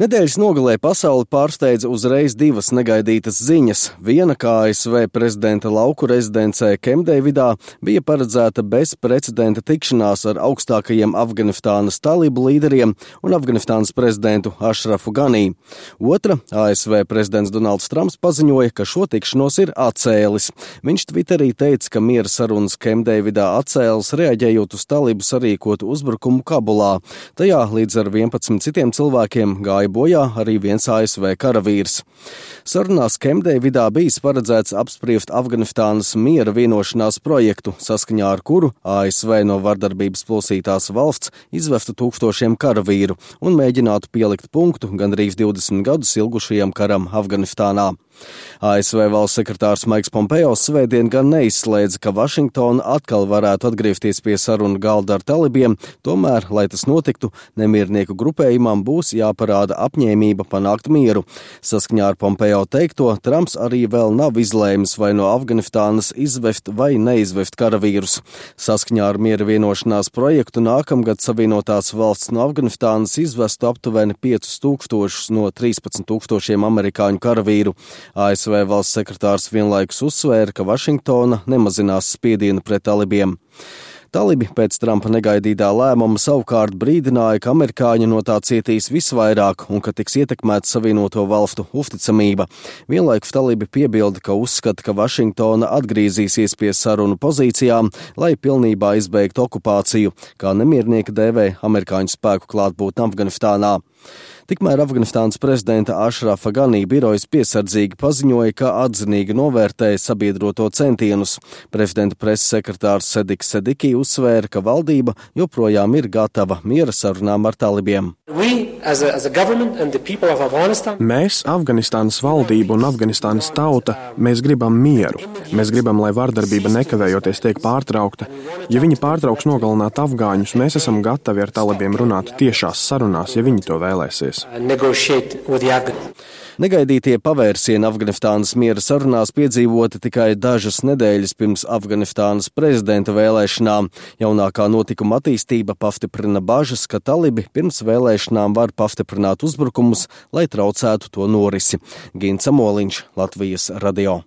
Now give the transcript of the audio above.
Nedēļas nogalē pasauli pārsteidza uzreiz divas negaidītas ziņas. Viena, kā ASV prezidenta lauku rezidencē Kempdeividā, bija paredzēta bezprecedenta tikšanās ar augstākajiem Afganistānas talibu līderiem un Afganistānas prezidentu Ašrafu Ganī. Otra, ASV prezidents Donalds Trumps paziņoja, ka šo tikšanos ir atcēlis. Viņš Twitterī teica, ka miera sarunas Kempdeividā atcēlis, reaģējot uz talibu sarīkotu uzbrukumu Kabulā. Tajā līdz ar 11 citiem cilvēkiem gāja bojā arī viens ASV karavīrs. Sarunās Kempdeividā bijis paredzēts apspriest Afganistānas miera vienošanās projektu, saskaņā ar kuru ASV no vardarbības plosītās valsts izvestu tūkstošiem karavīru un mēģinātu pielikt punktu gandrīz 20 gadus ilgušajam karam Afganistānā. ASV valsts sekretārs Maiks Pompeo svētdien gan neizslēdza, ka Vašingtona atkal varētu atgriezties pie sarunu galda ar talibiem, tomēr, lai tas notiktu, nemiernieku grupējumam būs jāparāda apņēmība panākt mieru. Saskaņā ar Pompeo teikto, Trumps arī vēl nav izlēmis vai no Afganistānas izvest vai neizvest karavīrus. Saskaņā ar miera vienošanās projektu nākamgad Savienotās valsts no Afganistānas izvestu aptuveni 5000 no 13 000 amerikāņu karavīru. ASV valsts sekretārs vienlaikus uzsvēra, ka Vašingtona nemazinās spiedienu pret talibiem. Talibi pēc Trumpa negaidītā lēmuma savukārt brīdināja, ka amerikāņi no tā cietīs visvairāk un ka tiks ietekmēta Savienoto valstu uzticamība. Vienlaikus talibi piebilda, ka uzskata, ka Vašingtona atgriezīsies pie sarunu pozīcijām, lai pilnībā izbeigtu okupāciju, kā nemiernieki dēvē amerikāņu spēku klātbūtni Afganistānā. Tikmēr Afganistānas prezidenta Ašrafa Ganī birojas piesardzīgi paziņoja, ka atzinīgi novērtēja sabiedroto centienus. Prezidenta preses sekretārs Sediks Sediki uzsvēra, ka valdība joprojām ir gatava miera sarunām ar talibiem. Mēs, Afganistānas valdība un Afganistānas tauta, mēs gribam mieru. Mēs gribam, lai vardarbība nekavējoties tiek pārtraukta. Ja viņi pārtrauks nogalināt afgāņus, mēs esam gatavi ar talibiem runāt tiešās sarunās, ja viņi to vēlēsies. Negaidītie pavērsieni Afganistānas miera sarunās piedzīvoti tikai dažas nedēļas pirms Afganistānas prezidenta vēlēšanām. Jaunākā notikuma attīstība pastiprina bažas, ka talibi pirms vēlēšanām var pastiprināt uzbrukumus, lai traucētu to norisi. Gins Amoliņš, Latvijas radio.